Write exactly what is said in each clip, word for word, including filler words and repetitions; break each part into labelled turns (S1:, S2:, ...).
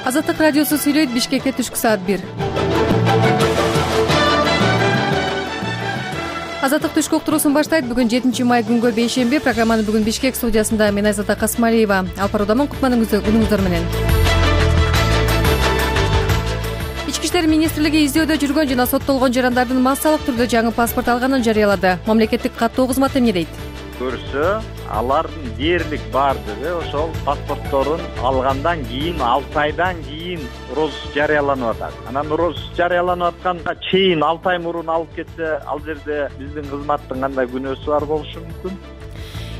S1: Азаттык радиосу сүйлөйт. Бишкекке түшкү саат бир. Азаттык түшкү уктуруусун баштайт. Бүгүн жетинчи май күнгө бейшемби. Программаны бүгүн Бишкек студиясында мен Айзада Касмалиева алып баруудамын. Кутманыңыздар менен. Ички иштер министрлиги издөөдө жүргөн жана соттолгон жарандардын массалык түрдө жаңы паспорт алганын жарыялады. Мамлекеттик каттоо кызматы эмне дейт?
S2: Көрсө, алардын дээрлик баардыгы ошол паспортторун алгандан кийин алты айдан кийин роз жарыяланып атат. Анан роз жарыяланып атканга чейин алты ай мурун алып кетсе, ал жерде биздин кызматтын кандай күнөөсү бар болушу мүмкүн?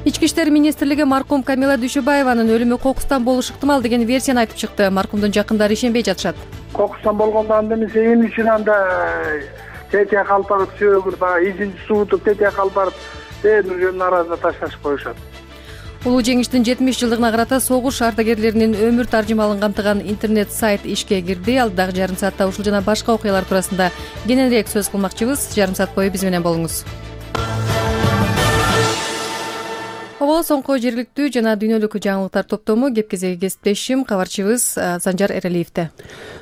S1: Ички иштер министрлиги маркум Камила Дүйшөбаеванын өлүмү кокустан болушу ыктымал деген версияны айтып чыкты. Маркумдун жакындары ишенбей жатышат.
S3: Кокустан болгондо анда эмесе эмне үчүн анда тетия калып барып сөөгүр баягы изин суутуп тетия калып барып бээринин жөнүн арасына ташташып коюшат.
S1: Улуу жеңиштин жетимиш жылдыгына карата согуш ардагерлеринин өмүр таржымалын камтыган интернет сайт ишке кирди. Алдыдагы жарым саатта ушул жана башка окуялар туурасында кененирээк сөз кылмакчыбыз. Жарым саат бою биз менен болуңуз. Обо соңку жергиликтүү жана дүйнөлүк жаңылыктар топтому кеп кезеги кесиптешим кабарчыбыз Санжар Эралиевде.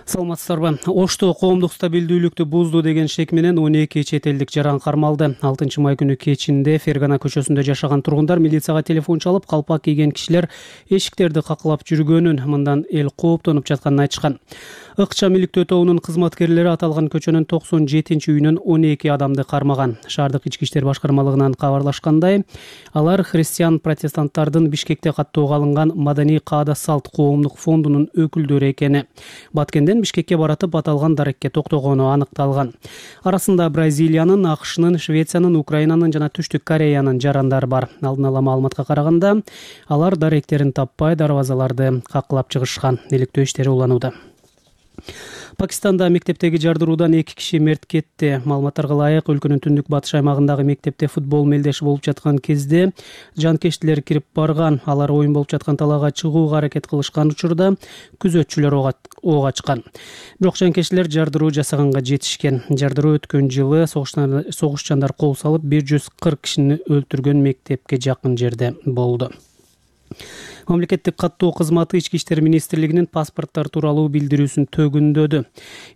S4: Саламатсыздарбы? Ошто коомдук стабилдүүлүктү бузду деген шек менен он эки чет элдик жаран кармалды. алтынчы май күнү кечинде Фергана көчөсүндө жашаган тургундар милицияга телефон чалып, калпак кийген кишилер эшиктерди какылап жүргөнүн, мындан эл кооптонуп жатканын айтышкан. Ыкчам иликтөө тобунун кызматкерлери аталган көчөнүн токсон жетинчи үйүнөн он эки адамды кармаган. Шаардык ички иштер башкармалыгынан кабарлашкандай, алар христиан протестанттардын Бишкекте каттоого алынган маданий каада салт коомдук фондунун өкүлдөрү экени. Баткенден Бишкекке баратып аталган дарекке токтогону аныкталган. Арасында Бразилиянын, АКШнын, Швециянын, Украинанын жана Түштүк Кореянын жарандары бар. Алдын ала маалыматка караганда, алар даректерин таппай дарбазаларды какылап чыгышкан. Иликтөө иштери уланууда. Пакистанда мектептеги жардыруудан эки киши мерт кетти. Маалыматтарга ылайык, өлкөнүн түндүк батыш аймагындагы мектепте футбол мелдеши болуп жаткан кезде жанкештилер кирип барган. Алар оюн болуп жаткан талаага чыгууга аракет кылышкан учурда күзөтчүлөр ок ачкан. Бирок жанкештилер жардыруу жасаганга жетишкен. Жардыруу өткөн жылы согушчандар кол салып бир жүз кырк кишини өлтүргөн мектепке жакын жерде болду. Мамлекеттик каттоо кызматы Ички иштер министрлигинин паспорттор тууралуу билдирүүсүн төгүндөдү.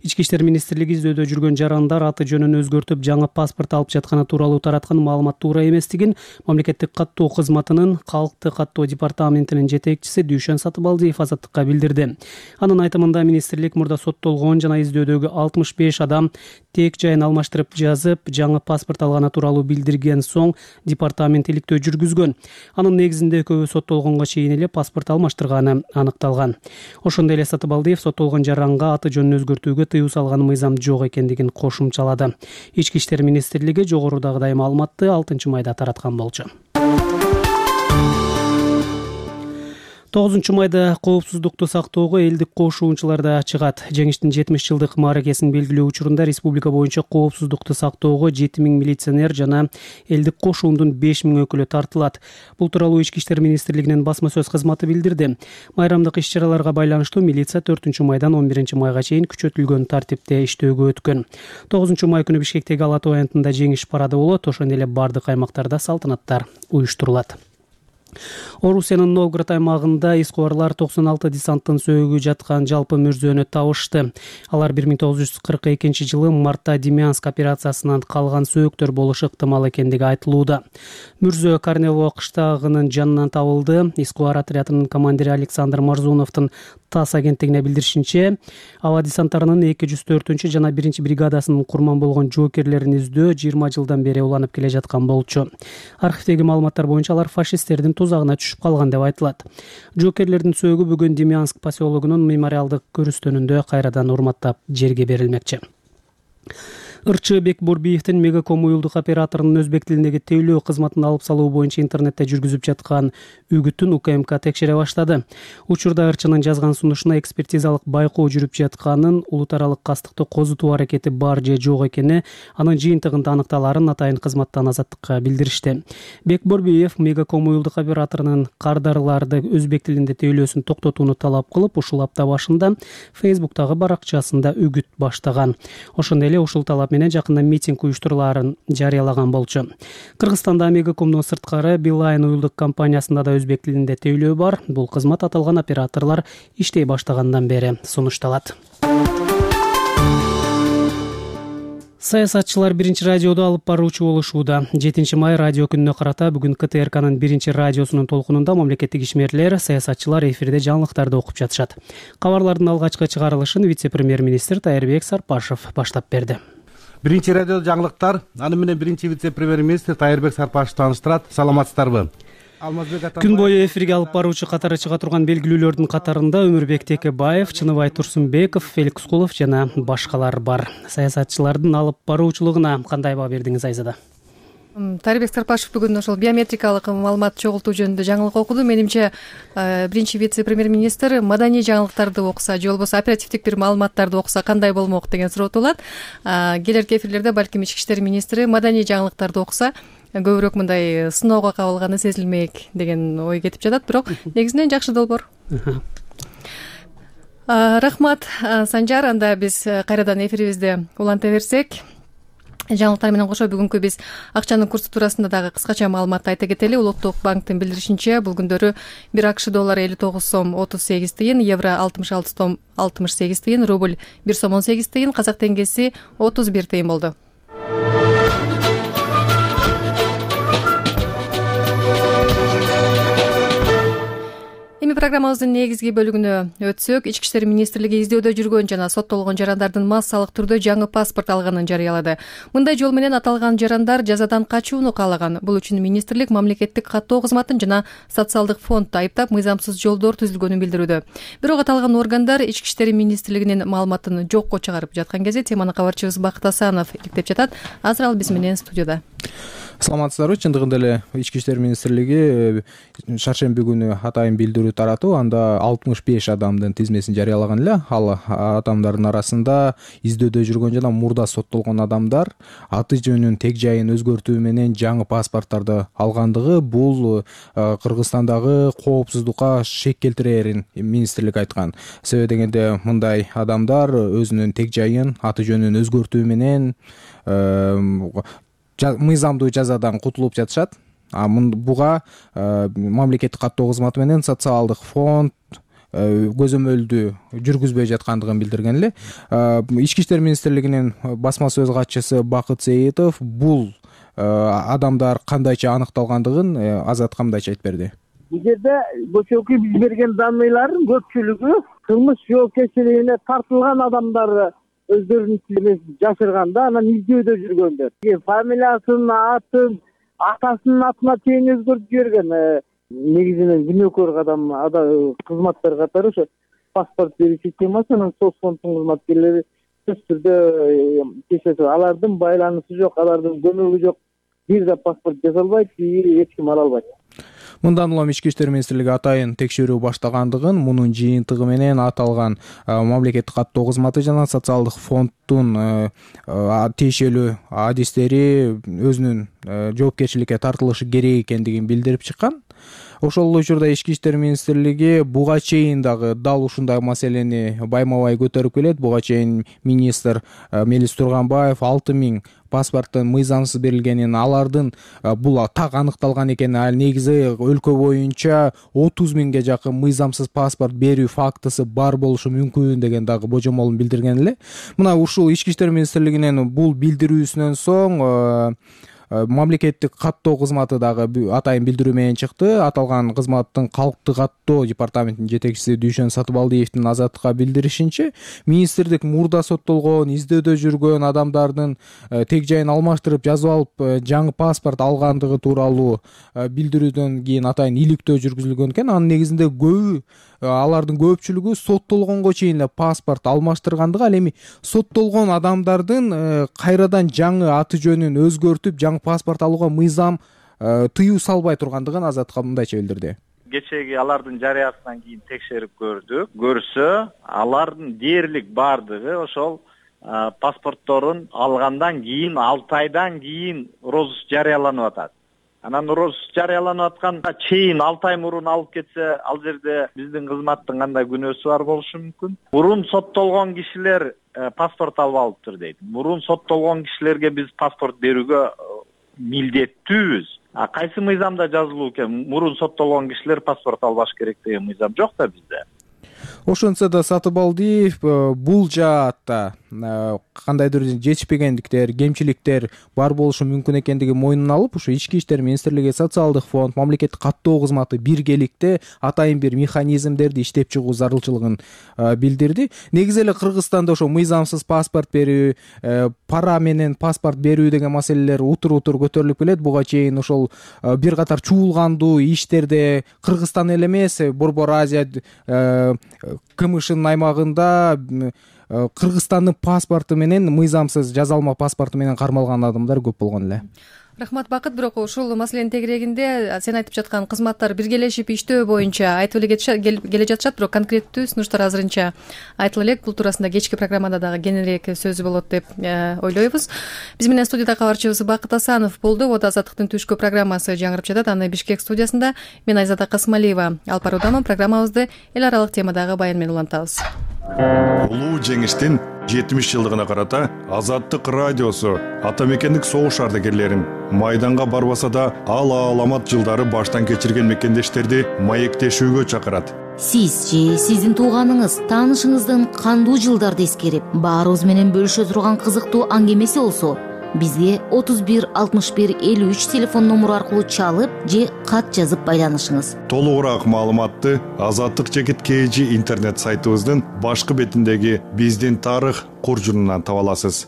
S4: Ички иштер министрлиги издөөдө жүргөн жарандар аты жөнүн өзгөртүп, жаңы паспорт алып жатканы тууралуу тараткан маалымат туура эместигин мамлекеттик каттоо кызматынын калкты каттоо департаментинин жетекчиси Дүйшөн Сатыбалдиев Азаттыкка билдирди. Анын айтымында министрлик мурда соттолгон жана издөөдөгү алтымыш беш адам тек жайын алмаштырып жазып, жаңы паспорт алганы тууралуу билдирген соң департамент иликтөө жүргүзгөн. Анын негизинде экөөбү соттолгонго чейин паспорт алмаштырганы аныкталган. Ошондой эле Сатыбалдиев соттолгон жаранга аты жөнүн өзгөртүүгө тыюу салган мыйзам жок экендигин кошумчалады. Ички иштер министрлиги жогорудагыдай маалыматты алтынчы майда тараткан болчу. тогузунчу майда коопсуздукту сактоого элдик кошуунчулар да чыгат. Жеңиштин жетимиш жылдык мааракесин белгилөө учурунда республика боюнча коопсуздукту сактоого жети миң милиционер жана элдик кошуундун беш миң өкүлү тартылат. Бул тууралуу Ички иштер министрлигинин басма сөз кызматы билдирди. Майрамдык иш-чараларга байланыштуу милиция төртүнчү майдан он биринчи майга чейин күчөтүлгөн тартипте иштөөгө өткөн. тогузунчу май күнү Бишкектеги Ала Тоо аянтында жеңиш парады болот. Ошондой эле бардык аймактарда салтанаттар уюштурулат. Орусиянын Новгород аймагында искубарлар токсон алты десанттын сөөгү жаткан жалпы мүрзөнү табышты. Алар бир миң тогуз жүз кырк экинчи жылы мартта Демянск операциясынан калган сөөктөр болушу ыктымал экендиги айтылууда. Мүрзө Корнево кыштагынын жанынан табылды. Искубар отрядынын командири Александр Марзуновдун ТАСС агенттигине билдиришинче, аба десанттарынын эки жүз төртүнчү жана биринчи бригадасынын курман болгон жоокерлерин издөө жыйырма жылдан бери уланып келе жаткан болчу. Архивдеги маалыматтар боюнча алар фашисттердин тузагына түшүп калган деп айтылат. Жоокерлердин сөөгү бүгүн Демянск поселогунун мемориалдык көрүстөнүндө кайрадан урматтап жерге берилмекчи. Ырчы Бекбурбиевдин Мегаком уюлдук операторунун өзбек тилиндеги тейлөө кызматын алып салуу боюнча интернетте жүргүзүп жаткан үгүтүн УКМК текшере баштады. Учурда Ырчынын жазган сунушуна экспертизалык байкоо жүрүп жатканын, улут аралык кастыкты козутуу аракети бар же жок экени анын жыйынтыгында аныкталарын атайын кызматтан Азаттыкка билдиришти. Бекбурбиев Мегаком уюлдук операторунун кардарларды өзбек тилинде тейлөөсүн токтотууну талап кылып, ушул апта башында Фейсбуктагы баракчасында үгүт баштаган. Ошондой эле ушул талап маалымат менен жакында митинг уюштурулаарын жарыялаган болчу. Кыргызстанда Мегакомдун сырткары Билайн уюлдук компаниясында да өзбек тилинде тейлөө бар. Бул кызмат аталган операторлор иштей баштагандан бери сунушталат. Саясатчылар биринчи радиодо алып баруучу болушууда. жетинчи май радио күнүнө карата бүгүн К Т Р Кнын биринчи радиосунун толкунунда мамлекеттик ишмерлер, саясатчылар эфирде жаңылыктарды окуп жатышат. Кабарлардын алгачкы чыгарылышын вице-премьер-министр Тайырбек Сарпашев баштап берди.
S5: Биринчи радио жаңылыктар, аны менен биринчи вице-премьер-министр Тайырбек Сарпашев тааныштырат. Саламатсыздарбы?
S4: Күн бою эфирге алып баруучу катары чыга турган белгилүүлөрдүн катарында Өмүрбек Текебаев, Чыныбай Турсунбеков, Феликс Кулов жана башкалар бар. Саясатчылардын алып баруучулугуна кандай баа бердиңиз, Айзада?
S1: Тайырбек Сарпашев бүгүн ошол биометрикалык маалымат чогултуу жөнүндө жаңылык окуду. Менимче биринчи вице-премьер-министр маданий жаңылыктарды окуса же болбосо оперативдик бир маалыматтарды окуса кандай болмок деген суроо туулат. Келерки эфирлерде балким ички иштер министри маданий жаңылыктарды окуса көбүрөөк мындай сыноого кабылганы сезилмек деген ой кетип жатат, бирок негизинен жакшы долбоор. Рахмат, Санжар. Анда биз кайрадан эфирибизди уланта берсек, жаңылыктар менен кошо бүгүнкү биз акчанын курсу туурасында дагы кыскача маалымат айта кетели. Улуттук банктын билдиришинче, бул күндөрү бир АКШ доллары элүү тогуз сом отуз сегиз тыйын, евро алтымыш алты сом алтымыш сегиз тыйын, рубль бир сом он сегиз тыйын, казак теңгеси отуз бир тыйын болду. Эми программабыздын негизги бөлүгүнө өтсөк, Ички иштер министрлиги издөөдө жүргөн жана соттолгон жарандардын массалык түрдө жаңы паспорт алганын жарыялады. Мындай жол менен аталган жарандар жазадан качууну каалаган. Бул үчүн министрлик мамлекеттик каттоо кызматын жана социалдык фондду айыптап, мыйзамсыз жолдор түзүлгөнүн билдирүүдө. Бирок аталган органдар Ички иштер министрлигинин маалыматын жокко чыгарып жаткан кезде теманы кабарчыбыз Бакыт Асанов иликтеп жатат. Азыр ал биз менен студияда.
S6: Саламатсыздарбы? Чындыгында эле Ички иштер министрлиги шаршемби күнү атайын билдирүү таратып, анда алтымыш беш адамдын тизмесин жарыялаган эле. Ал адамдардын арасында издөөдө жүргөн жана мурда соттолгон адамдар аты жөнүн тег жайын өзгөртүү менен жаңы паспорттарды алгандыгы бул Кыргызстандагы коопсуздукка шек келтирээрин министрлик айткан. Себеби дегенде мындай адамдар өзүнүн тег жайын аты жөнүн өзгөртүү менен мыйзамдуу жазадан кутулуп жатышат. Буга мамлекеттик каттоо кызматы менен социалдык фонд көзөмөлдү жүргүзбөй жаткандыгын билдирген эле. Ички иштер министрлигинин басма сөз катчысы Бакыт Сеитов бул адамдар кандайча аныкталгандыгын Азатка мындайча айтып берди.
S3: Бул жерде көчөкү биз берген данныйлардын көпчүлүгү кылмыш жоопкерчилигине тартылган адамдар өздөрүнүн тилин жашырганда, анан издөөдө жүргөндөр. Фамилиясын, атын, атасынын атына чейин өзгөртүп жиберген. Негизинен күнөөкөр адам кызматтар катары ошо паспорт берүү системасы, анан соцфонддун кызматкерлери сөзсүз түрдө кечет. Алардын байланышы жок, алардын көмөгү жок. Бир да паспорт жасалбайт, эч ким ала албайт.
S6: Мындан улам Ички иштер министрлиги атайын текшерүү баштагандыгын, мунун жыйынтыгы менен аталган мамлекеттик каттоо кызматы жана социалдык фонддун тиешелүү адистери өзүнүн жоопкерчиликке тартылышы керек экендигин билдирип чыккан. Ошол учурда Ички иштер министрлиги буга чейин дагы дал ушундай маселени байма-бай көтөрүп келет. Буга чейин министр Мелис Турганбаев алты миң паспорттун мыйзамсыз берилгенин, алардын бул так аныкталган экени, ал негизи өлкө боюнча отуз миңге жакын мыйзамсыз паспорт берүү фактысы бар болушу мүмкүн деген дагы божомолун билдирген эле. Мына ушул Ички иштер министрлигинин бул билдирүүсүнөн соң мамлекеттик каттоо кызматы дагы атайын билдирүү менен чыкты. Аталган кызматтын калктык каттоо департаментинин жетекчиси Дүйшөн Сатыбалдиевдин Азаттыкка билдиришинче, министрлик мурда соттолгон, издөөдө жүргөн адамдардын тег жайын алмаштырып жазып алып жаңы паспорт алгандыгы тууралуу билдирүүдөн кийин атайын иликтөө жүргүзүлгөн экен. Анын негизинде көбү алардын көпчүлүгү соттолгонго чейин эле паспорт алмаштыргандыгы, ал эми соттолгон адамдардын кайрадан жаңы аты жөнүн өзгөртүп жаңы паспорт алууга мыйзам тыюу салбай тургандыгын Азатка мындайча билдирди.
S2: Кечеги алардын жарыясынан кийин текшерип көрдүк. Көрсө, алардын дээрлик бардыгы ошол паспортторун алгандан кийин алты айдан кийин розыск жарыяланып атат. Анан розыск жарыяланып атканга чейин алты ай мурун алып кетсе, ал жерде биздин кызматтын кандай күнөөсү бар болушу мүмкүн. Мурун соттолгон кишилер паспорт алып алыптыр дейт. Мурун соттолгон кишилерге биз паспорт берүүгө милдеттүүбүз. А кайсы мыйзамда жазылуу экен? Мурун соттолгон кишилер паспорт албаш керек деген мыйзам жок да бизде.
S6: Ошентсе да Сатыбалдиев бул жаатта кандайдыр жетишпегендиктер, кемчиликтер бар болушу мүмкүн экендиги мойнуна алып, ушу Ички иштер министрлиги, социалдык фонд, мамлекеттик каттоо кызматы биргеликте атайын бир механизмдерди иштеп чыгуу зарылчылыгын билдирди. Негизи эле Кыргызстанда ошо мыйзамсыз паспорт берүү, пара менен паспорт берүү деген маселелер утур-утур көтөрүлүп келет. Буга чейин ошол бир катар чуулгандуу иштерде Кыргызстан эле эмес, Борбор Азия КМШнын аймагында Кыргызстандын паспорту менен, мыйзамсыз жазалма паспорту менен кармалган адамдар көп болгон эле.
S1: Рахмат, Бакыт. Бирок ушул маселенин тегерегинде сен айтып жаткан кызматтар биргелешип иштөө боюнча айтып эле келе жатышат, бирок конкреттүү сунуштар азырынча айтыла элек. Бул туурасында кечки программада дагы кененирээк сөзү болот деп ойлойбуз. Биз менен студияда кабарчыбыз Бакыт Асанов болду. Вот Азаттыктын түшкү программасы жаңырып жатат. Аны Бишкек студиясында мен Айзада Касымалиева алып баруудамын. Программабызды эл аралык темадагы баян менен улантабыз.
S7: Улуу жеңиштин жетимиш жылдыгына карата Азаттык радиосу ата мекендик согуш ардагерлерин майданга барбаса да ал аламат жылдары баштан кечирген мекендештерди маектешүүгө чакырат.
S8: Сиз же сиздин тууганыңыз, таанышыңыздын кандуу жылдарды эскерип, баарыбыз менен бөлүшө турган кызыктуу аңгемеси болсо, бизге отуз бир алтымыш бир элүү үч телефон номуру аркылуу чалып же кат жазып байланышыңыз.
S7: Толугураак маалыматты Азаттык чекит kg интернет сайтыбыздын башкы бетиндеги биздин тарых куржунунан таба аласыз.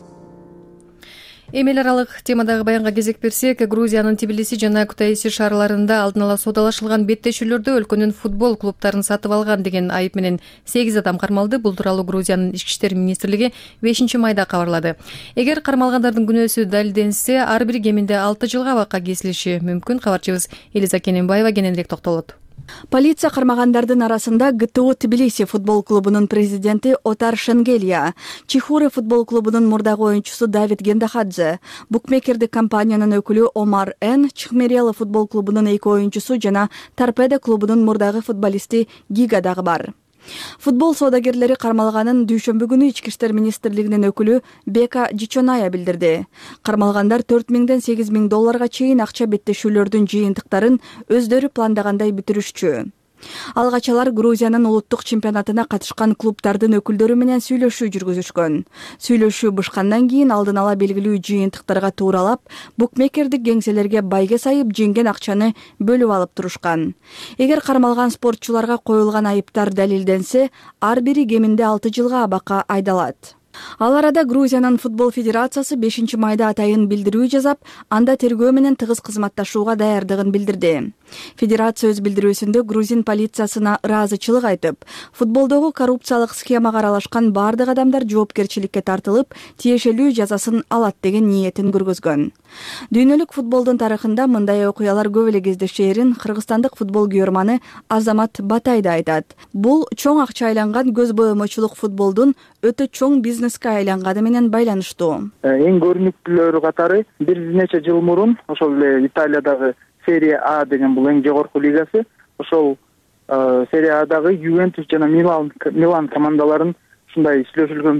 S1: Эми эл аралык темадагы баянга кезек берсек, Грузиянын Тбилиси жана Кутаиси шаарларында алдын ала соодалашылган беттешүүлөрдө өлкөнүн футбол клубтарын сатып алган деген айып менен сегиз адам кармалды. Бул тууралуу Грузиянын ички иштер министрлиги бешинчи майда кабарлады. Эгер кармалгандардын күнөөсү далилденсе, ар бири кеминде алты жылга абакка кесилиши мүмкүн. Кабарчыбыз Элиза Кененбаева кененирээк токтолот.
S9: Полиция кармагандардын арасында ГТО Тбилиси футбол клубунун президенти Отар Шенгелия, Чихуре футбол клубунун мурдагы оюнчусу Давид Гендахадзе, букмекердик компаниянын өкүлү Омар Н, Чихмерела футбол клубунун эки оюнчусу жана Торпедо клубунун мурдагы футболисти Гига дагы бар. Футбол соодагерлери кармалганын дүйшөмбү күнү Ички иштер министрлигинин өкүлү Бека Жичоная билдирди. Кармалгандар төрт миңден сегиз миң долларга чейин акча беттешүүлөрдүн жыйынтыктарын өздөрү пландагандай бүтүрүшчү. Алгач алар Грузиянын улуттук чемпионатына катышкан клубтардын өкүлдөрү менен сүйлөшүү жүргүзүшкөн. Сүйлөшүү бышкандан кийин алдын ала белгилүү жыйынтыктарга тууралап, букмекердик кеңселерге байге сайып жеңген акчаны бөлүп алып турушкан. Эгер кармалган спортчуларга коюлган айыптар далилденсе, ар бири кеминде алты жылга абакка айдалат. Ал арада Грузиянын футбол федерациясы бешинчи майда атайын билдирүү жасап, анда тергөө менен тыгыз кызматташууга даярдыгын билдирди. Федерация өз билдирүүсүндө грузин полициясына ыраазычылык айтып, футболдогу коррупциялык схемага аралашкан бардык адамдар жоопкерчиликке тартылып, тиешелүү жазасын алат деген ниетин көргөзгөн. Дүйнөлүк футболдун тарыхында мындай окуялар көп эле кездешээрин кыргызстандык футбол күйөрманы Азамат Батай да айтат. Бул чоң акча айланган көз боемочулук футболдун өтө чоң бизнеске айланганы менен байланыштуу.
S3: Эң көрүнүктүүлөрү катары бир нече жыл мурун ошол эле Италиядагы Серия А деген бул эң жогорку лигасы, ошол Серия Адагы Ювентус жана Милан Милан командаларын ушундай сүйлөшүлгөн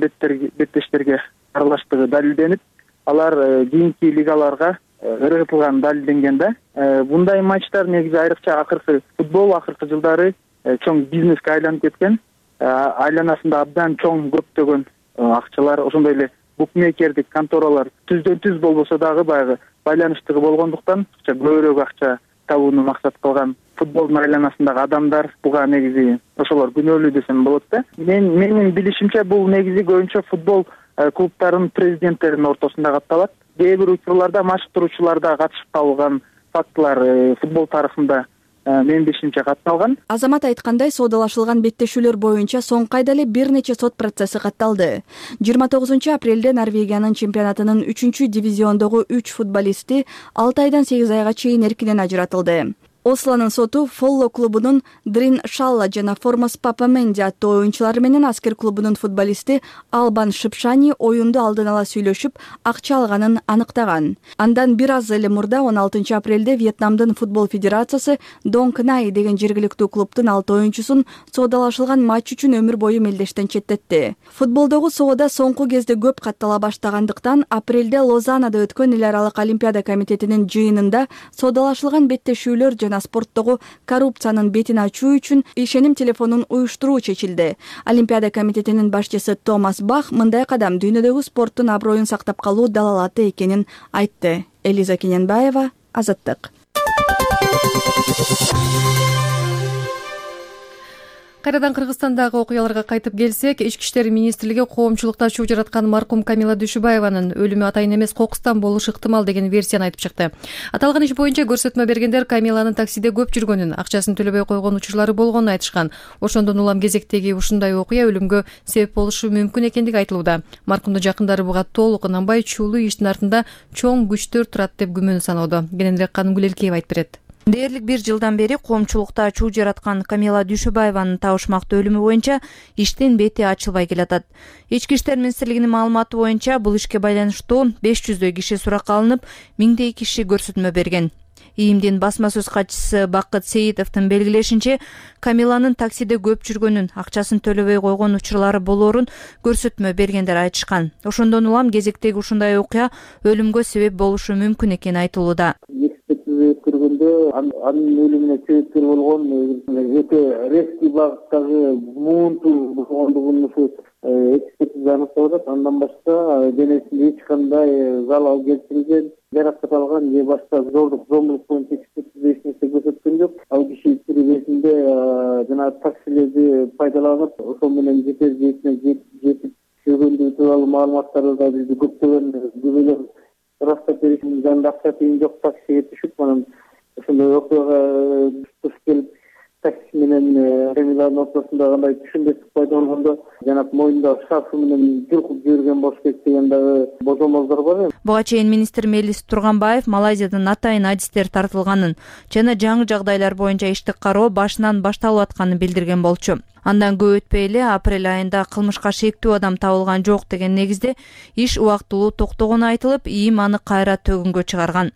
S3: беттештерге аралаштыгы далилденип, алар кийинки лигаларга ыргытылган далилденген да. Bunday матчтар негизи айрыкча акыркы футбол акыркы жылдары чоң бизнеске айланып кеткен. Айланасында абдан чоң көптөгөн акчалар, ошондой эле букмекердик конторалар түздөн түз болбосо дагы баягы байланыштыгы болгондуктан көбүрөөк акча табууну максат кылган футболдун айланасындагы адамдар буга негизи ошолор күнөөлүү десем болот да. Мен менин билишимче бул негизи көбүнчө футбол клубтарынын президенттеринин ортосунда катталат. Кээ бир учурларда машыктыруучулар да катышып калган фактылар футбол тарыхында мен бешинчи катталган.
S9: Азамат айткандай, соодалашылган беттешүүлөр боюнча соңку айда эле бир нече сот процесси катталды. жыйырма тогузунчу апрелде Норвегиянын чемпионатынын үчүнчү дивизиондогу үч футболисти алты айдан сегиз айга чейин эркинен ажыратылды. Ослонун соту Фолло клубунун Дрин Шалла жана Формос Папаменди аттуу оюнчулары менен Аскер клубунун футболисти Албан Шипшани оюнду алдын ала сүйлөшүп, акча алганын аныктаган. Андан бир аз эле мурда он алтынчы апрелде Вьетнамдын футбол федерациясы Донг Най деген жергиликтүү клубдун алты оюнчусун соодалашылган матч үчүн өмүр бою мелдештен четтетти. Футболдогу соода соңку кезде көп каттала баштагандыктан апрелде Лозаннада өткөн эл аралык олимпиада комитетинин жыйынында соодалашылган беттешүүлөр жана спорттогу коррупциянын бетин ачуу үчүн ишеним телефонун уюштуруу чечилди. Олимпиада комитетинин башчысы Томас Бах мындай кадам дүйнөдөгү спорттун аброюн сактап калуу далалаты экенин айтты. Элиза Кененбаева, Азаттык.
S1: Кайрадан Кыргызстандагы окуяларга кайтып келсек, Ички иштер министрлиги коомчулукта чуу жараткан маркум Камила Дүйшүбаеванын өлүмү атайын эмес кокустан болушу ыктымал деген версияны айтып чыкты. Аталган иш боюнча көрсөтмө бергендер Камиланын таксиде көп жүргөнүн, акчасын төлөбөй койгон учурлары болгонун айтышкан. Ошондон улам кезектеги ушундай окуя өлүмгө себеп болушу мүмкүн экендиги айтылууда. Маркумдун жакындары буга толук ынанбай, чуулуу иштин артында чоң күчтөр турат деп күмөн саноодо. Кененирээк Канымгүл Элкеева айтып берет.
S10: Дээрлик бир жылдан бери коомчулукта чуу жараткан Камила Дүйшүбаеванын табышмактуу өлүмү боюнча иштин бети ачылбай келатат. Ички иштер министрлигинин маалыматы боюнча бул ишке байланыштуу беш жүздөй киши суракка алынып, миңдей киши көрсөтмө берген. ИИМдин басма сөз катчысы Бакыт Сейитовдун белгилешинче, Камиланын таксиде көп жүргөнүн, акчасын төлөбөй койгон учурлары болоорун көрсөтмө бергендер айтышкан. Ошондон улам кезектеги ушундай окуя өлүмгө себеп болушу мүмкүн экени айтылууда.
S3: Өткөргөндө анын өлүмүнө себепкер болгон өтө резкий багыттагы муунтуу болгондугун ушу экспертиза аныктап атат. Андан башка денесинде эч кандай залал келтирилген, жаракат алган же башка зордук зомбулук боюнча экспертиза эч нерсе көрсөткөн жок. Ал киши кезинде жана таксилерди пайдаланып, ошол менен жетер жээсине жетип жүргөндүгү тууралуу маалыматтарды да бизди көптөгөн күбөлөр растап беришин, жанында акча тыйын жок таксиге түшүп, анан ошондой окуяга туш келип, такси менен Камиланын ортосунда кандай түшүнбөстүк пайда болгондо, жанагы мойнундагы шарфы менен жулкуп жиберген болуш керек деген дагы божомолдор бар.
S10: Буга чейин министр Мелис Турганбаев Малайзиядан атайын адистер тартылганын жана жаңы жагдайлар боюнча иштик кароо башынан башталып атканын билдирген болчу. Андан көп өтпөй эле апрель айында кылмышка шектүү адам табылган жок деген негизде иш убактылуу токтогону айтылып, ИИМ аны кайра төгүнгө чыгарган.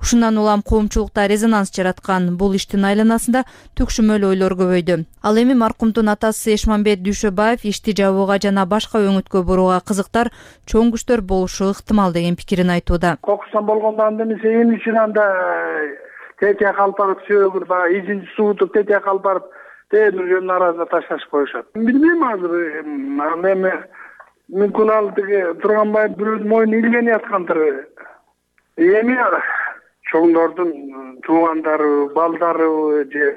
S10: Ушундан улам коомчулукта резонанс жараткан бул иштин айланасында түкшүмөл ойлор көбөйдү. Ал эми маркумдун атасы Эшмамбет Дүйшөбаев ишти жабууга жана башка өңүткө бурууга кызыктар, чоң күчтөр болушу ыктымал деген пикирин айтууда.
S11: Кокустан болгондо анда эмесе эмне үчүн анда тетияк алып барып сөөгүр баягы изин суутуп тетияк алып барып тээдүр жөнүнүн арасына ташташып коюшат. Билбейм азыр, эми мүмкүн ал тиги Турганбаев бирөөнүн мойнуна илгенип аткандыр. Эми чоңдордун туугандары, балдары же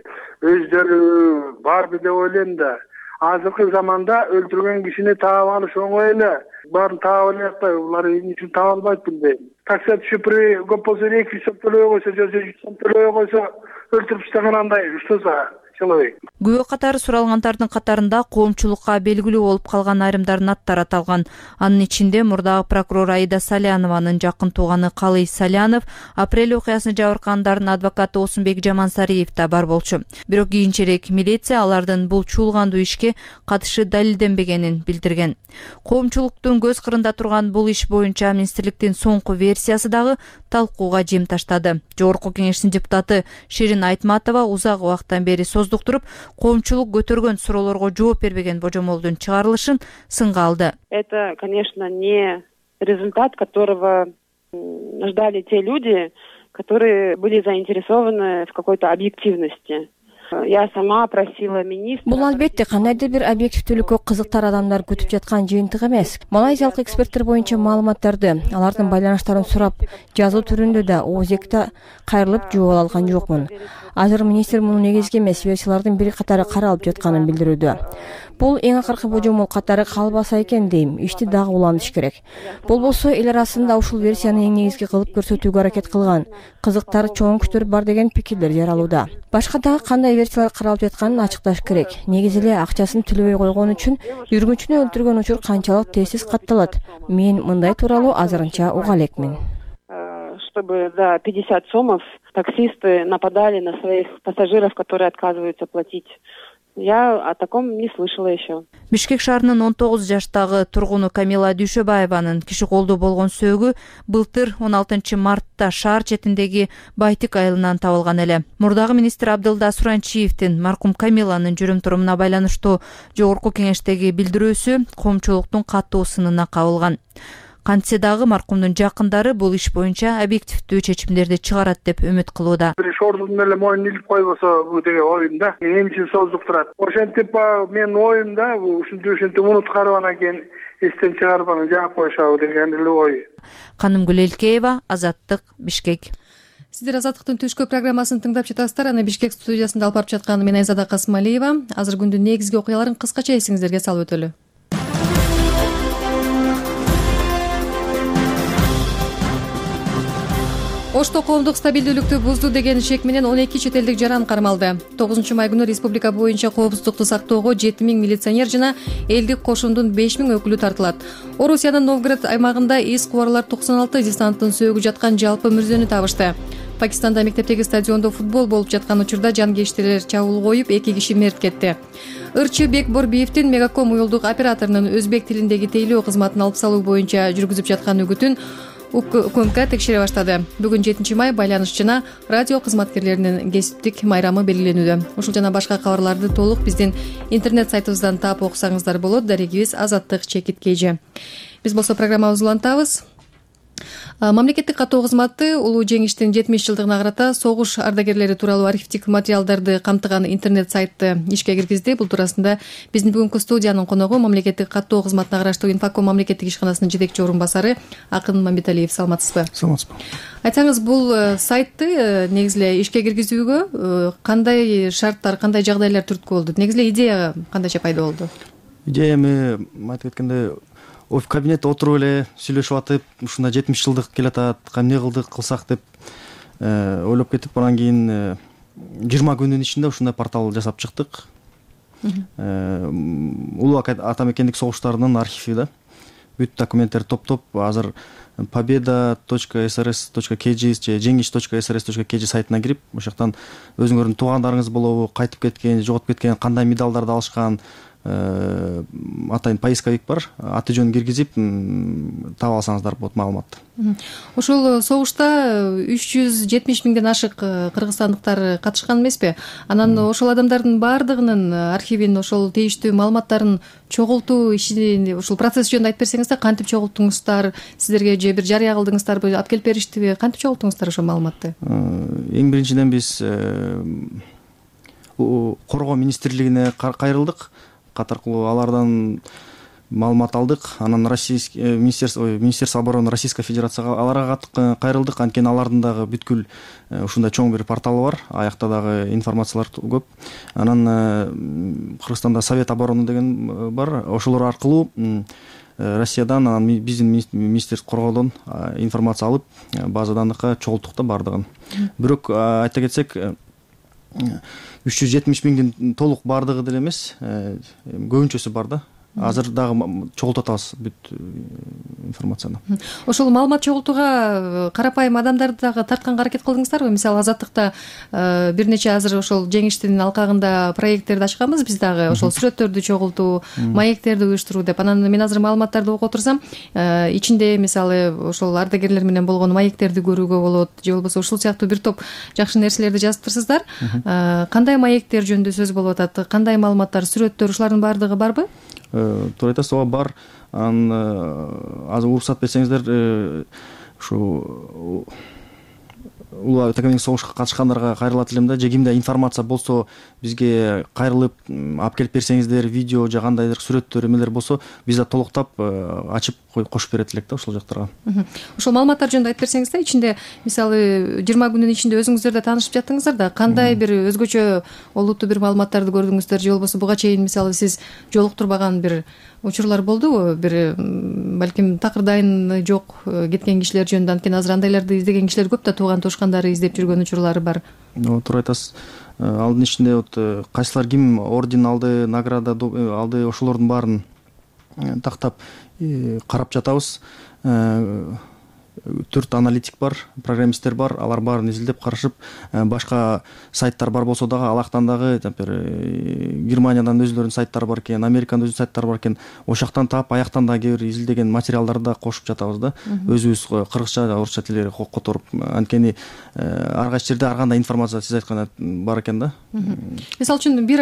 S11: өздөрү барбы деп ойлойм да. Азыркы заманда өлтүргөн кишини таап алыш оңой эле. Баарын таап алып атпайбы, булар эмне үчүн таап албайт билбейм. Таксия түшүп көп болсо эки жүз сом төлөбөй койсо же жүз сом төлөбөй койсо өлтүрүп таштаган андай уштаса.
S10: Күбө катары суралгандардын катарында коомчулукка белгилүү болуп калган айрымдардын аттары аталган. Анын ичинде мурдагы прокурор Аида Салянованын жакын тууганы Калый Салянов, апрель окуясына жабыркагандардын адвокаты Осунбек Жамансариев да бар болчу. Бирок кийинчерээк милиция алардын бул чуулгандуу ишке катышы далилденбегенин билдирген. Коомчулуктун көз кырында турган бул иш боюнча министрликтин соңку версиясы дагы талкууга жем таштады. Жогорку кеңештин депутаты Ширин Айтматова узак убакыттан бери создуктуруп, коомчулук көтөргөн суроолорго жооп бербеген божомолдун чыгарылышын сынга алды.
S12: Это, конечно, не результат, которого ждали те люди, которые были заинтересованы в какой-то объективности. Я сама просила министра.
S13: Бул албетте кандайдыр бир объективдүүлүккө кызыктар адамдар күтүп жаткан жыйынтык эмес. Малайзиялык эксперттер боюнча маалыматтарды, алардын байланыштарын сурап, жазуу түрүндө да оозекте кайрылып жооп ала алган жокмун. Азыр министр муну негизги эмес версиялардын бир катары каралып жатканын билдирүүдө. Бул эң акыркы божомол катары калбаса экен дейм, ишти дагы улантыш керек. Болбосо эл арасында ушул версияны эң негизги кылып көрсөтүүгө аракет кылган, кызыктар чоң күчтөр бар деген пикирлер жаралууда. Башка дагы кандай версиялар каралып жатканын ачыкташ керек. Негизи эле акчасын төлөбөй койгон үчүн жүргүнчүнү өлтүргөн учур канчалык тезсиз катталат? Мен мындай тууралуу азырынча уга элекмин.
S12: чтобы за пятьдесят сомов таксисты нападали на своих пассажиров, которые отказываются платить. Я о таком не слышала еще.
S10: Бишкек шаарынын он тогуз жаштагы тургуну Камила Дүйшөбаеванын киши колдо болгон сөөгү былтыр он алтынчы мартта шаар четиндеги Байтик айылынан табылган эле. Мурдагы министр Абдылда Суранчиевдин маркум Камиланын жүрүм турумуна байланыштуу жогорку кеңештеги билдирүүсү коомчулуктун катуу сынына кабылган. Кантсе дагы маркумдун жакындары бул иш боюнча объективдүү чечимдерди чыгарат деп үмүт кылууда.
S11: Бир шордун эле моюнун илип койбосо бул деген оюм да. Эмне үчүн создук турат? Ошентип менин оюм да, бул ушинтип ушинтип унуткарып анан кийин эстен чыгарып анан жаап коюшабы деген эле ой.
S10: Канымгүл Элкеева, Азаттык, Бишкек.
S1: Сиздер Азаттыктын түшкү программасын тыңдап жатасыздар. Аны Бишкек студиясында алып барып жаткан мен Айзада Касымалиева. Азыр күндүн негизги окуяларын кыскача эсиңиздерге салып өтөлү. Ошто коомдук стабилдүүлүктү бузду деген шек менен он эки чет элдик жаран кармалды. тогузунчу май күнү республика боюнча коопсуздукту сактоого жети миң милиционер жана элдик кошундун беш миң өкүлү тартылат. Орусиянын Новгород аймагында эс кубарлар токсон алты десанттын сөөгү жаткан жалпы мүрзөнү табышты. Пакистанда мектептеги стадиондо футбол болуп жаткан учурда жангештелер чабуул коюп, эки киши мерт кетти. Ырчы Бекборбиевдин Мегаком уюлдук операторунун өзбек тилиндеги тейлөө кызматын алып салуу боюнча жүргүзүп жаткан үгүтүн УКМК текшере баштады. Бүгүн жетинчи май байланыш жана радио кызматкерлеринин кесиптик майрамы белгиленүүдө. Ушул жана башка кабарларды толук биздин интернет сайтыбыздан таап окусаңыздар болот. Дарегибиз Азаттык чекит кейжи. Биз болсо программабызды улантабыз. Мамлекеттик каттоо кызматы улуу жеңиштин жетимиш жылдыгына карата согуш ардагерлери тууралуу архивдик материалдарды камтыган интернет сайтты ишке киргизди. Бул туурасында биздин бүгүнкү студиянын коногу мамлекеттик каттоо кызматына караштуу Инфаком мамлекеттик ишканасынын жетекчи орун басары Акын Мамбеталиев. Саламатсызбы?
S6: Саламатсызбы.
S1: Айтсаңыз, бул сайтты негизи эле ишке киргизүүгө кандай шарттар, кандай жагдайлар түрткү болду? Негизи эле идея кандайча пайда болду?
S14: Идея эми айтып кеткенде в кабинетте отуруп эле сүйлөшүп атып, ушундай жетимиш жылдык келатат, эмне кылдык, кылсак деп ойлоп кетип, анан кийин жыйырма күндүн ичинде ушундай портал жасап чыктык. Улуу ата мекендик согуштарынын архиви да. Бүт документтерди топтоп, азыр победа точка эс эр эс точка кей джи же жеңиш точка эс эр эс точка кей джи сайтына кирип, ошол жактан өзүңөрдүн туугандарыңыз болобу, кайтып кеткен, жоготуп кеткен, кандай медалдарды алышкан, атайын поисковик бар, аты жөнүн киргизип таап алсаңыздар болот маалыматты.
S1: Ошол согушта үч жүз жетимиш миңден ашык кыргызстандыктар катышкан эмеспи? Анан ошол адамдардын баардыгынын архивин, ошол тийиштүү маалыматтарын чогултуу ишин, ушул процесс жөнүндө айтып берсеңиздер, кантип чогулттуңуздар? Сиздерге же бир жарыя кылдыңыздарбы, алып келип бериштиби? Кантип чогулттуңуздар ошол маалыматты?
S14: Эң биринчиден биз коргоо министрлигине кайрылдык. Катаркылуу алардан маалымат алдык. Анан российский министерство министерство обороны Российской Федерацияга аларга кайрылдык. Анткени алардын дагы бүткүл ушундай чоң бир порталы бар. Аякта дагы информациялар көп. Анан Кыргызстанда Совет обороны деген бар. Ошолор аркылуу Россиядан, анан биздин министрлик коргоодон информация алып, база данныхка чогулттук да бардыгын. Бирок айта кетсек, үч жүз жетимиш миңдин толук бардыгы деле эмес, көбүнчөсү бар да. Азыр дагы чогултуп атабыз бүт информацияны.
S1: Ошол маалымат чогултууга карапайым адамдарды дагы тартканга аракет кылдыңыздарбы? Мисалы Азаттыкта бир нече азыр ошол жеңиштин алкагында проекттерди ачканбыз биз дагы, ошол сүрөттөрдү чогултуу, маектерди уюштуруу деп. Анан мен азыр маалыматтарды окуп отурсам, ичинде мисалы ошол ардагерлер менен болгон маектерди көрүүгө болот, же болбосо ушул сыяктуу бир топ жакшы нерселерди жазыптырсыздар. Кандай маектер жөнүндө сөз болуп атат? Кандай маалыматтар, сүрөттөр, ушулардын баардыгы барбы?
S14: Туура айтасыз, ооба бар. Анан азыр уруксат берсеңиздер, ушу улуу ата мекендик согушка катышкандарга кайрылат элем да. Же кимде информация болсо бизге кайрылып алып келип берсеңиздер, видео же кандайдыр сүрөттөр эмелер болсо, биз да толуктап ачып кошуп берет элек да ошол жактарга.
S1: Ошол маалыматтар жөнүндө айтып берсеңиз да, ичинде мисалы жыйырма күндүн ичинде өзүңүздөр да таанышып жаттыңыздар да, кандай бир өзгөчө олуттуу бир маалыматтарды көрдүңүздөр, же болбосо буга чейин мисалы сиз жолуктурбаган бир учурлар болдубу? Бир балким такырдайын жок кеткен кишилер жөнүндө, анткени азыр андайларды издеген кишилер көп да, тууган тушкандары издеп жүргөн учурлары бар.
S14: Туура айтасыз. Алдын ичинде вот кайсылар ким орден алды, награда алды, ошолордун баарын тактап карап жатабыз. төрт аналитик бар, программисттер бар, алар баарын изилдеп карашып, башка сайттар бар болсо дагы алактан дагы Германиядан өзлөрүнүн сайттары бар экен, Американын өзүнүн сайттары бар экен, ошол жактан таап аяктан дагы кээ бир изилдеген материалдарды да кошуп жатабыз да. Өзүбүз кыргызча, орусча тилдерди которуп, анткени ар кайсы жерде ар кандай информация сиз айткандай бар экен да.
S1: Мисалы үчүн бир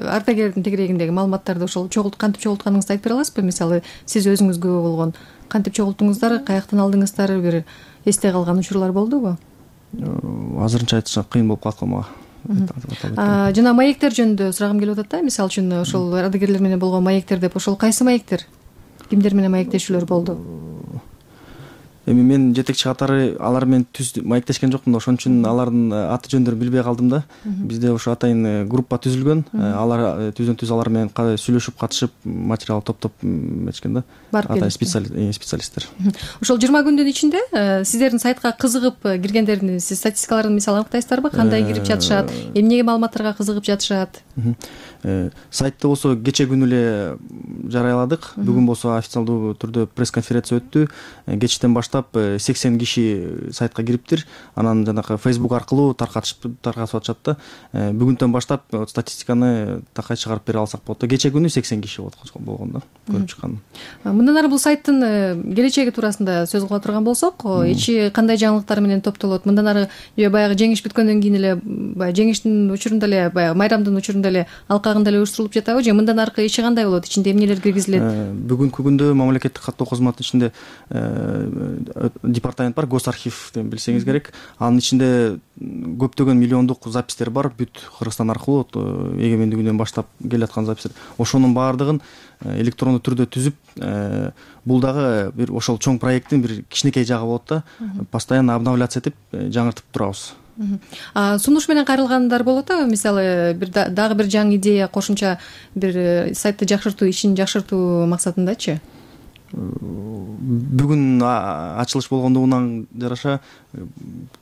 S1: ардагердин тегерегиндеги маалыматтарды ошол чогулт кантип чогултканыңызды айтып бере аласызбы? Мисалы, сиз өзүңүзгө болгон кантип чогулттуңуздар, каяктан алдыңыздар, бир эсте калган учурлар болдубу?
S14: Азырынча айтыш кыйын болуп калат мага.
S1: Жана маектер жөнүндө сурагым келип атат да. Мисалы үчүн ошол ардагерлер менен болгон маектер деп, ошол кайсы маектер? Кимдер менен маектешүүлөр болду?
S14: Эми мен жетекчи катары алар менен түз маектешкен жокмун да, ошон үчүн алардын аты жөндөрүн билбей калдым да. Бизде ошо атайын группа түзүлгөн, алар түздөн түз алар менен сүйлөшүп, катышып, материал топтоп эметишкен да. Атайын специалисттер.
S1: Ошол жыйырма күндүн ичинде сиздердин сайтка кызыгып киргендердин сиз статистикаларын мисалы аныктайсыздарбы? Кандай кирип жатышат, эмнеге маалыматтарга кызыгып жатышат?
S14: Сайтты болсо кече күнү эле жарыяладык. Бүгүн болсо официалдуу түрдө пресс-конференция өттү. Кечтен баштап сексен киши сайтка кириптир. Анан жанагы Facebook аркылуу таркатышып таркатып атышат да. Бүгүндөн баштап статистиканы такай чыгарып бере алсак болот да. Кече күнү сексен киши болгон да, көрүп чыккан.
S1: Мындан ары бул сайттын келечеги туурасында сөз кыла турган болсок, ичи кандай жаңылыктар менен топтолот? Мындан ары же баягы жеңиш бүткөндөн кийин эле, баягы жеңиштин учурунда эле, баягы майрамдын учурунда эле алкагында эле уюштурулуп жатабы же мындан аркы ичи кандай болот? Ичинде эмнелер киргизилет?
S14: Бүгүнкү күндө мамлекеттик каттоо кызматынын ичинде департамент бар, госархив деп билсеңиз керек. Анын ичинде көптөгөн миллиондук запистер бар, бүт Кыргызстан аркылуу эгемендигинен баштап келаткан запистер. Ошонун баардыгын электрондуу түрдө түзүп, бул дагы бир ошол чоң проекттин бир кичинекей жагы болот да. Постоянно обновляться этип, жаңыртып турабыз.
S1: Сунуш менен кайрылгандар болот а? Мисалы, бир дагы бир жаңы идея, кошумча бир сайтты жакшыртуу, ишин жакшыртуу максатындачы?
S14: Бүгүн ачылыш болгондугунан жараша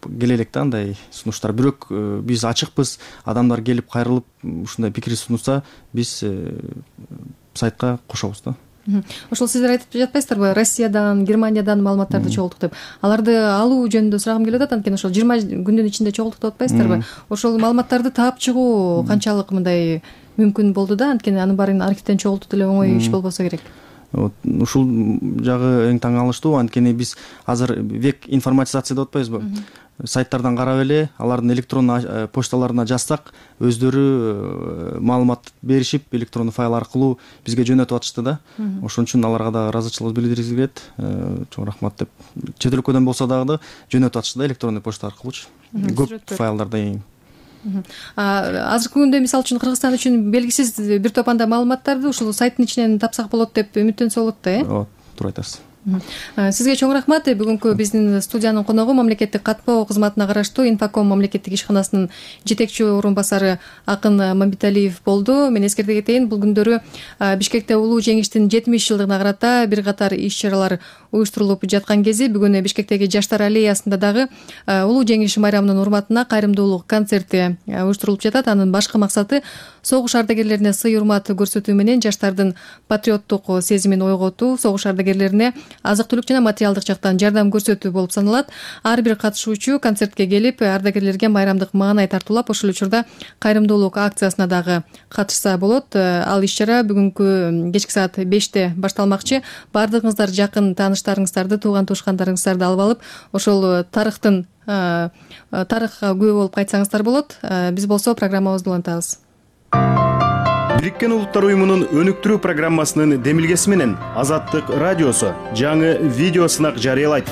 S14: келе элек да андай сунуштар. Бирок биз ачыкпыз, адамдар келип кайрылып ушундай пикир сунуса, биз сайтка кошобуз да.
S1: Ошол сиздер айтып жатпайсыздарбы, Россиядан, Германиядан маалыматтарды чогулттук деп. Аларды алуу жөнүндө сурагым келип атат, анткени ошол жыйырма күндүн ичинде чогулттук деп атпайсыздарбы? Ошол маалыматтарды таап чыгуу канчалык мындай мүмкүн болду да, анткени анын баарын архивден чогултуу деле оңой иш болбосо керек.
S14: Ушул жагы эң таң калыштуу, анткени биз азыр век информатизация деп атпайбызбы? Сайттардан карап эле, алардын электрондуу почталарына жазсак, өздөрү маалымат беришип, электрондуу файл аркылуу бизге жөнөтүп атышты да. Ошон үчүн аларга да ыраазычылык билдиргибиз келет. Чоң рахмат деп. Чет өлкөдөн болсо дагы жөнөтүп атышты да электрондуу почта аркылуучу. Көп файлдарда эң.
S1: Азыркы күндө мисалы үчүн Кыргызстан үчүн белгисиз бир топ анда маалыматтарды ушул сайттын ичинен тапсак болот деп үмүттөнсө болот да, э?
S14: Ооба, туура айтасыз.
S1: Сизге чоң рахмат. Бүгүнкү биздин студиянын коногу мамлекеттик каттоо кызматына караштуу Инфоком мамлекеттик ишканасынын жетекчи орун басары Акын Мамбеталиев болду. Мен эскерте кетейин, бул күндөрү Бишкекте улуу жеңиштин жетимиш жылдыгына карата бир катар иш чаралар уюштурулуп жаткан кези бүгүн Бишкектеги Жаштар аллеясында дагы улуу жеңиш майрамынын урматына кайрымдуулук концерти уюштурулуп жатат. Анын башкы максаты согуш ардагерлерине сый урмат көрсөтүү менен жаштардын патриоттук сезимин ойготуу, согуш ардагерлерине азык-түлүк жана материалдык жактан жардам көрсөтүү болуп саналат. Ар бир катышуучу концертке келип, ардагерлерге майрамдык маанай тартуулап, ошол учурда кайрымдуулук акциясына дагы катышса болот. Ал иш-чара бүгүнкү кечки саат беште башталмакчы. Бардыгыңыздар жакын тааныштарыңыздарды, тууган туушкандарыңыздарды алып алып, ошол тарыхтын тарыхка күбө болуп кайтсаңыздар болот. Биз болсо программабызды улантабыз.
S15: Бириккен Улуттар уюмунун өнүктүрүү программасынын демилгеси менен Азаттык радиосу жаңы видео сынак жарыялайт.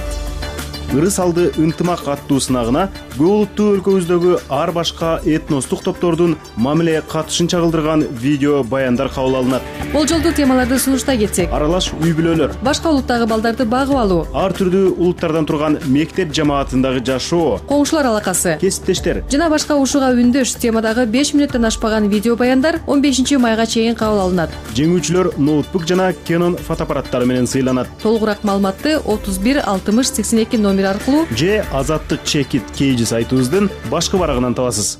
S15: Ырыс алды ынтымак аттуу сынагына көп улуттуу өлкөбүздөгү ар башка этностук топтордун мамиле катышын чагылдырган видео баяндар кабыл алынат.
S1: Болжолдуу темаларды сунуштай кетсек:
S15: аралаш үй бүлөлөр,
S1: башка улуттагы балдарды багып алуу,
S15: ар түрдүү улуттардан турган мектеп жамаатындагы жашоо,
S1: коңшулар алакасы,
S15: кесиптештер
S1: жана башка ушуга үндөш темадагы беш мүнөттөн ашпаган видео баяндар он бешинчи майга чейин кабыл алынат.
S15: Жеңүүчүлөр ноутбук жана Canon фотоаппараттары менен сыйланат.
S1: Толугураак маалыматты отуз бир алтымыш сексен эки номер аркылуу
S15: же Азаттык чекит кейжи сайтыбыздын башкы барагынан табасыз.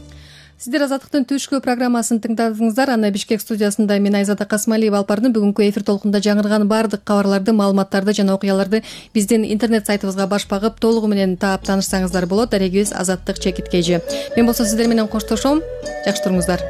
S1: Сиздер Азаттыктын түшкү программасын тыңдадыңыздар. Аны Бишкек студиясында мен Айзада Касмалиева алып бардым. Бүгүнкү эфир толкунда жаңырган баардык кабарларды, маалыматтарды жана окуяларды биздин интернет сайтыбызга баш багып толугу менен таап таанышсаңыздар болот. Дарегибиз Азаттык чекит кей жи. Мен болсо сиздер менен коштошом. Жакшы туруңуздар.